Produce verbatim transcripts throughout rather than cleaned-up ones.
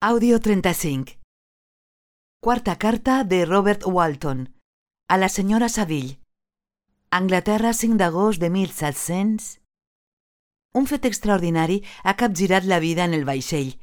Àudio trenta-cinc. Quarta carta de Robert Walton a la senyora Saville. Anglaterra, cinc d'agost de mil set-cents... Un fet extraordinari ha capgirat la vida en el vaixell.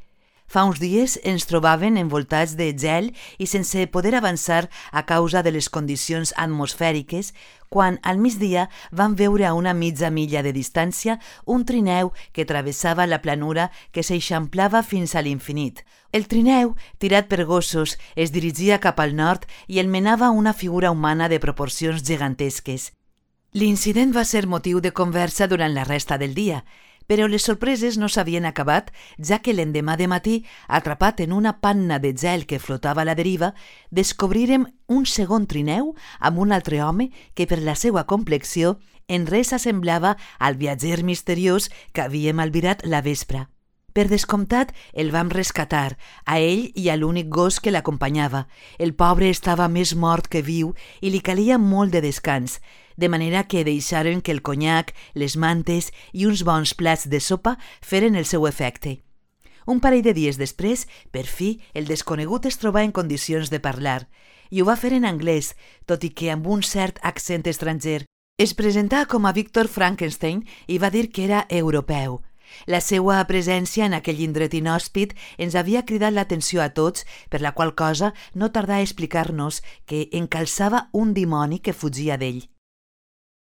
Fa uns dies ens trobaven envoltats de gel i sense poder avançar a causa de les condicions atmosfèriques, quan al migdia vam veure a una mitja milla de distància un trineu que travessava la planura que s'eixamplava fins a l'infinit. El trineu, tirat per gossos, es dirigia cap al nord i el menava una figura humana de proporcions gegantesques. L'incident va ser motiu de conversa durant la resta del dia, però les sorpreses no s'havien acabat, ja que l'endemà de matí, atrapat en una panna de gel que flotava a la deriva, descobrirem un segon trineu amb un altre home que per la seva complexió en res assemblava al viatger misteriós que havíem albirat la vespra. Per descomptat, el vam rescatar, a ell i a l'únic gos que l'acompanyava. El pobre estava més mort que viu i li calia molt de descans, de manera que deixaren que el conyac, les mantes i uns bons plats de sopa feren el seu efecte. Un parell de dies després, per fi, el desconegut es trobà en condicions de parlar, i ho va fer en anglès, tot i que amb un cert accent estranger. Es presentà com a Víctor Frankenstein i va dir que era europeu. La seva presència en aquell indret inhòspit ens havia cridat l'atenció a tots, per la qual cosa no tardà a explicar-nos que encalçava un dimoni que fugia d'ell.